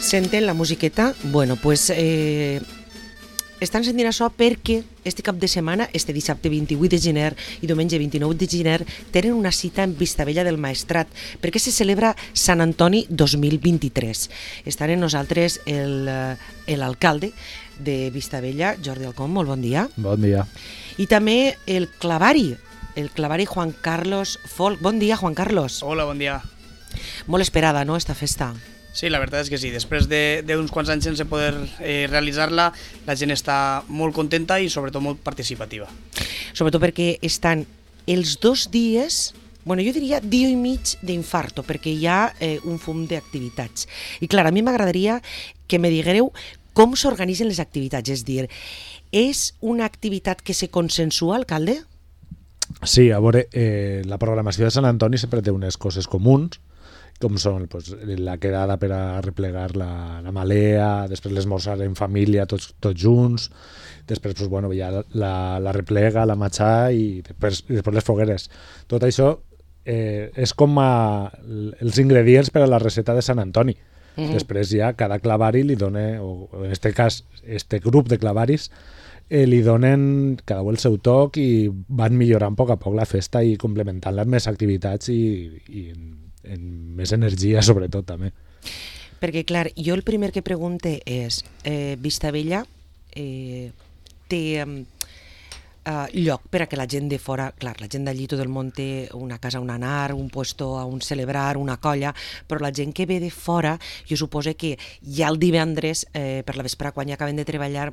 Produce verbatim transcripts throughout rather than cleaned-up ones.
Senten la musiqueta? Bueno, pues eh, estan sentint això perquè este cap de setmana, este dissabte vint-i-vuit de gener i diumenge vint-i-nou de gener, tenen una cita en Vistabella del Maestrat, perquè se celebra Sant Antoni dos mil vint-i-tres. Estan amb nosaltres l'alcalde de Vistabella, Jordi Alcón, molt bon dia. Bon dia. I també el clavari, el clavari Juan Carlos Folk. Bon dia, Juan Carlos. Hola, bon dia. Molt esperada, no?, esta festa. Sí, la veritat és que sí. Després d'uns quants anys sense poder eh, realitzar-la, la gent està molt contenta i sobretot molt participativa. Sobretot perquè estan els dos dies, bueno, jo diria dia i mig d'infarto, perquè hi ha eh, un fum d'activitats. I clar, a mi m'agradaria que me diguereu com s'organitzen les activitats, és dir, és una activitat que se consensua, alcalde? Sí, a veure, eh, la programació de Sant Antoni sempre té unes coses comuns, com són pues, la quedada per a replegar la, la malea, després l'esmorzar en família tots, tots junts, després pues, bueno, ja la, la replega, la matxà i després, i després les fogueres. Tot això eh, és com a, els ingredients per a la receta de Sant Antoni. Mm-hmm. Després ja cada clavari li dona, o en aquest cas, este grup de clavaris, eh, li donen cada un el seu toc i van millorant a poc a poc la festa i complementant-la amb més activitats i, i en, en més energia, sobretot, també. Perquè, clar, jo el primer que pregunte és, eh, Vistabella eh, té eh, lloc per a que la gent de fora, clar, la gent d'allí tot el món té una casa on anar, un puesto on celebrar, una colla, però la gent que ve de fora, jo suposo que ja el divendres, eh, per la vespre, quan ja acaben de treballar,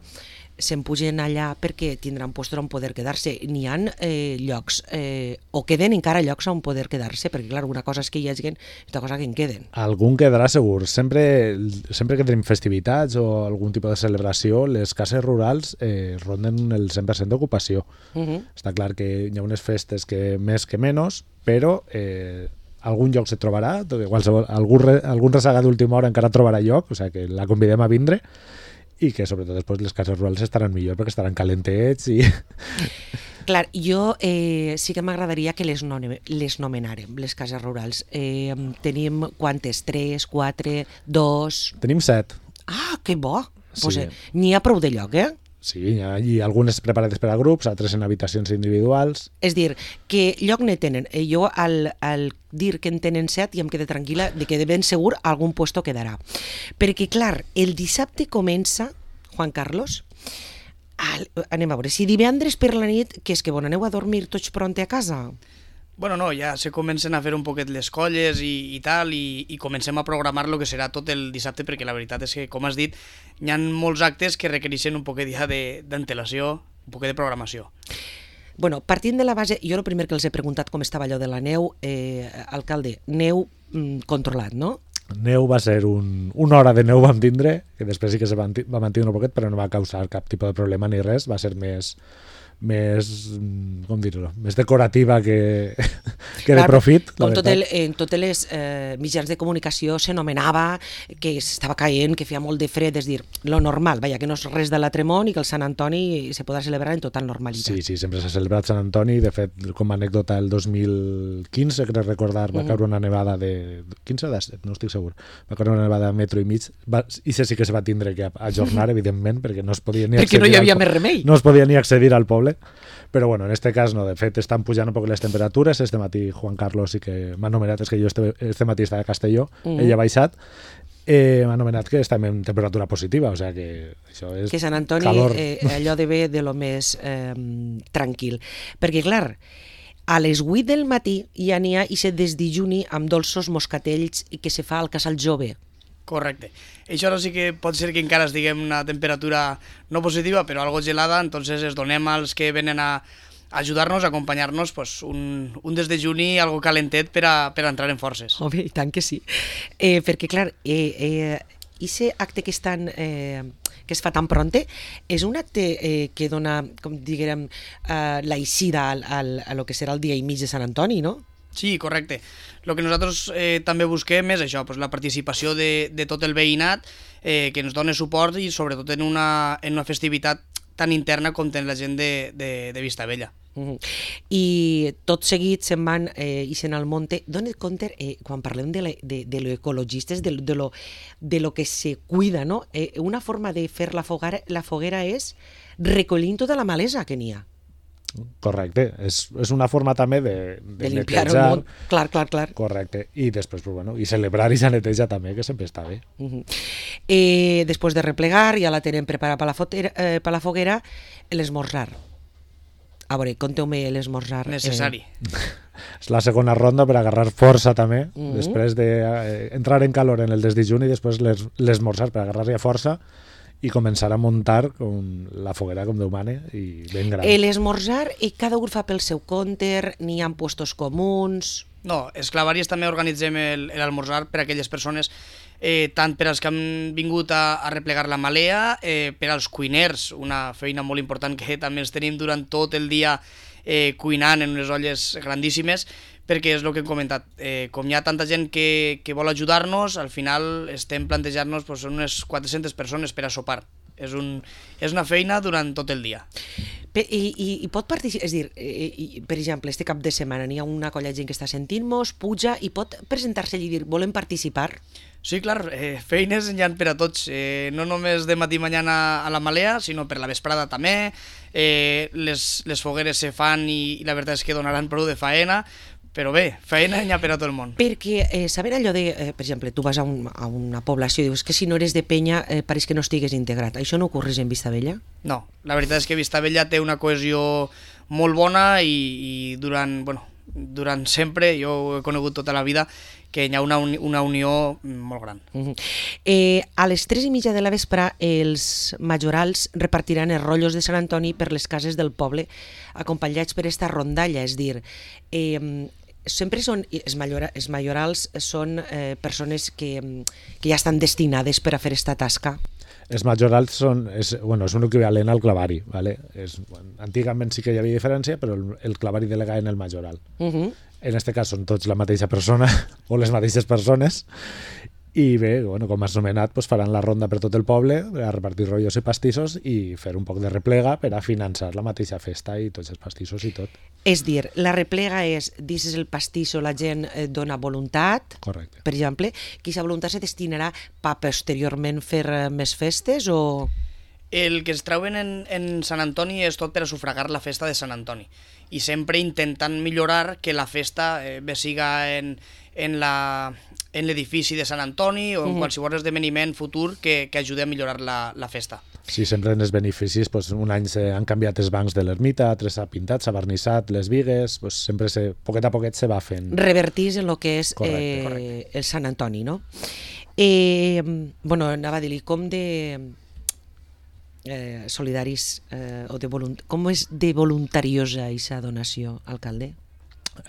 se'n pugen allà perquè tindran puestos on poder quedar-se. N'hi ha eh, llocs, eh, o queden encara llocs on poder quedar-se, perquè clar, una cosa és que hi hagi, altra cosa que en queden. Algun quedarà segur. Sempre, sempre que tenim festivitats o algun tipus de celebració, les cases rurals eh, ronden el cent per cent d'ocupació. Uh-huh. Està clar que hi ha unes festes que més que menys, però eh, algun lloc se trobarà, qualsevol, algun, algun resaga d'última hora encara trobarà lloc, o sigui que la convidem a vindre, i que sobretot després les cases rurals estaran millor perquè estaran calentets i... Clar, jo eh, sí que m'agradaria que les, no, les nomenàrem, les cases rurals. Eh, tenim quantes? Tres, quatre, dos... Tenim set. Ah, que bo! Sí. Pues, eh, n'hi ha prou de lloc, eh? Sí, hi ha, i algunes preparades per a grups, altres en habitacions individuals. És dir, que lloc ne tenen. Eh, jo al, al dir que en tenen set ja em quedé tranquil·la de que de ben segur algun puesto quedarà. Perquè, clar, el dissabte comença, Juan Carlos, al, anem a veure, si divendres per la nit, que és que bon, aneu a dormir tots pronte a casa? Bueno, no, ja se comencen a fer un poquet les colles i, i tal, i, i comencem a programar el que serà tot el dissabte, perquè la veritat és que, com has dit, hi ha molts actes que requereixen un poquet ja d'antelació, un poquet de programació. Bueno, partint de la base, jo el primer que els he preguntat com estava allò de la neu, eh, alcalde, neu mm, controlat, no? Neu va ser un, una hora de neu vam tindre, que després sí que se va, va mantenir un poquet, però no va causar cap tipus de problema ni res, va ser més... més, com dir-ho, més decorativa que, que de profit. Com tot el, en totes les eh, mitjans de comunicació s'anomenava que estava caient, que feia molt de fred, és dir, lo normal, vaja, que no és res de l'altre món i que el Sant Antoni se podrà celebrar en total normalitat. Sí, sí, sempre s'ha celebrat Sant Antoni, de fet, com a anècdota, el dos mil quinze, crec recordar, va caure una nevada de... quinze o disset, no estic segur. Va caure una nevada de metro i mig, va, i això sí que se va tindre que ajornar, evidentment, perquè no es podia ni perquè accedir... no hi havia al, més remei. No es podia ni accedir al poble. Però bueno, en este cas no, de fet estan pujant un poc les temperatures, este matí Juan Carlos sí que m'ha anomenat, és que jo este, este matí estava a Castelló, mm. ell ha baixat, eh, m'ha anomenat que estem en temperatura positiva, o sigui que això és que Sant Antoni, calor. Eh, allò de bé de lo més eh, tranquil, perquè clar, a les vuit del matí ja n'hi ha i se desdijuni amb dolços moscatells que se fa al Casal Jove. Correcte. Això ara sí que pot ser que encara estiguem una temperatura no positiva, però algo gelada, entonces es donem als que venen a ajudar-nos, a acompanyar-nos, pues, un, un desdejuni, algo calentet per a, per a entrar en forces. Home, i tant que sí. Eh, perquè, clar, eh, eh, ese acte que, estan, eh, que es fa tan pronte és un acte eh, que dona, com diguem, eh, l'aixida al, al, a lo que serà el dia i mig de Sant Antoni, no? Sí, correcte. El que nosaltres eh, també busquem és això, pues, la participació de, de tot el veïnat, eh, que ens doni suport i sobretot en una, en una festivitat tan interna com ten la gent de, de, de Vistabella. Uh-huh. I tot seguit se'n van eh, ixen al monte. Dona't compte, eh, quan parlem de, la, de, de lo ecologistes, de, de, lo, de lo que se cuida, no? Eh, una forma de fer la foguera, la foguera és recollint tota la malesa que n'hi ha. Correcte, és, és una forma també de, de, de limpiar el món, clar, clar, clar. Correcte, i després, pues, bueno, i celebrar i la neteja també, que sempre està bé. Uh-huh. eh, després de replegar, ja la tenen preparada per la, fotera, eh, per la foguera, l'esmorzar. A veure, conteu-me l'esmorzar. Necessari. Eh... És la segona ronda per agarrar força també, uh-huh. després d'entrar de, eh, en calor en el desdejuni i després l'esmorzar per agarrar-hi força i començar a muntar com la foguera com Déu mane i ben gran. L'esmorzar, i cada un fa pel seu compte, n'hi ha puestos comuns... No, els clavaris també organitzem l'almorzar per a aquelles persones, eh, tant per als que han vingut a, a replegar la malea, eh, per als cuiners, una feina molt important que també els tenim durant tot el dia eh, cuinant en unes olles grandíssimes, perquè és el que hem comentat, eh, com hi ha tanta gent que, que vol ajudar-nos, al final estem plantejant-nos pues, unes quatre-centes persones per a sopar. És, un, és una feina durant tot el dia. I, i, i pot participar, és dir, i, per exemple, este cap de setmana n'hi ha una colla de gent que està sentint-nos, puja i pot presentar-se i dir, volem participar? Sí, clar, eh, feines n'hi ha per a tots, eh, no només de matí i mañana a la malea, sinó per la vesprada també, eh, les, les fogueres se fan i, i la veritat és que donaran prou de faena, però bé, feina n'hi ha per a tot el món. Perquè eh, saber allò de, eh, per exemple, tu vas a, un, a una població i dius que si no eres de penya eh, pareix que no estigues integrat. Això no ocorreix en Vistabella? No, la veritat és que Vistabella té una cohesió molt bona i, i durant, bueno, durant sempre, jo ho he conegut tota la vida, que hi ha una, uni, una unió molt gran. Uh-huh. eh, a les tres i mitja de la vespre els majorals repartiran els rotllos de Sant Antoni per les cases del poble, acompanyats per esta rondalla, és dir... Eh, sempre són, els, majora, els majorals són eh, persones que, que ja estan destinades per a fer esta tasca. Els majorals són, és, bueno, és un equivalent al clavari, ¿vale? És, bueno, antigament sí que hi havia diferència, però el, el clavari delega en el majoral. Uh-huh. En aquest cas són tots la mateixa persona o les mateixes persones i bé, bueno, com has nomenat, pues faran la ronda per tot el poble a repartir rotllos i pastissos i fer un poc de replega per a finançar la mateixa festa i tots els pastissos i tot. És dir, la replega és, dices el pastisso, la gent eh, dona voluntat. Correcte. Per exemple, que aquesta voluntat se destinarà per posteriorment fer eh, més festes o... El que es treuen en, en Sant Antoni és tot per a sufragar la festa de Sant Antoni i sempre intentant millorar que la festa eh, bé siga en, en la... en l'edifici de Sant Antoni o en uh-huh. qualsevol esdeveniment futur que, que ajudi a millorar la, la festa. Sí, sempre en els beneficis, pues, un any se han canviat els bancs de l'ermita, altres s'ha pintat, s'ha vernissat les vigues, pues, sempre se, poquet a poquet se va fent... Revertís en el que és correcte, eh, correcte. el Sant Antoni, no? Eh, bueno, anava a dir-li, com de eh, solidaris eh, o de volunt... com és de voluntariosa aquesta donació, alcalde?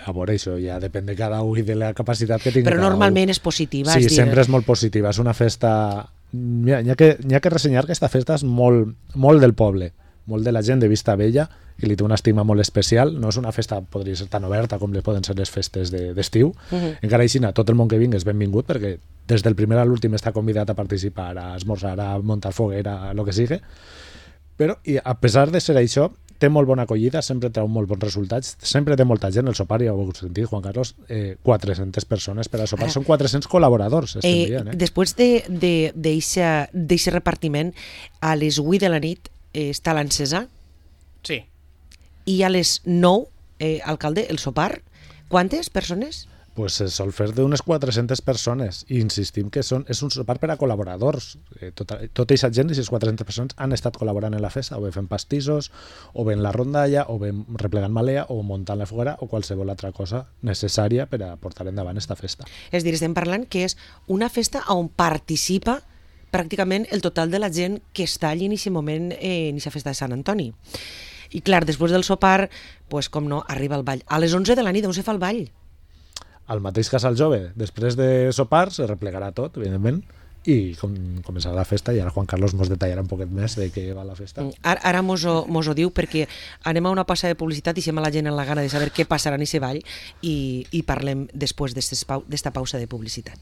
A veure, això ja depèn de cada un i de la capacitat que tingui. Però normalment és positiva. Sí, és dir... sempre és molt positiva. És una festa... N'hi ha, ha, que, ha que ressenyar que aquesta festa és molt, molt del poble, molt de la gent de Vistabella, que li té una estima molt especial. No és una festa, podria ser tan oberta com les poden ser les festes d'estiu. De, uh-huh. Encara així, tot el món que vingui és benvingut, perquè des del primer a l'últim està convidat a participar, a esmorzar, a muntar foguera, a lo que sigui. Però, i a pesar de ser això, té molt bona acollida, sempre treu molt bons resultats, sempre té molta gent, el sopar, ja ho heu sentit, Juan Carlos, eh, quatre-centes persones per a sopar, són quatre-cents col·laboradors, estem eh, dient. Eh? Després d'aquest repartiment, a les vuit de la nit eh, està l'encesa? Sí. I a les nou, eh, alcalde, el sopar, quantes persones? Pues se sol fer d'unes quatre-centes persones i insistim que són, és un sopar per a col·laboradors. Eh, tota, tota aquesta gent, aquestes quatre-centes persones, han estat col·laborant en la festa, o bé fent pastissos, o bé en la rondalla, o bé replegant malea, o muntant la foguera, o qualsevol altra cosa necessària per a portar endavant esta festa. És dir, estem parlant que és una festa on participa pràcticament el total de la gent que està allí en aquest moment, eh, en aquesta festa de Sant Antoni. I clar, després del sopar, pues, com no, arriba el ball. A les onze de la nit, on se fa el ball? Al mateix casal jove, després de sopar, se replegarà tot, evidentment, i com, començarà la festa, i ara Juan Carlos ens detallarà un poquet més de què va la festa. Ara, ara mos, ho, mos ho diu perquè anem a una passa de publicitat i deixem a la gent en la gana de saber què passarà en aquest ball i, i parlem després d'esta pausa de publicitat.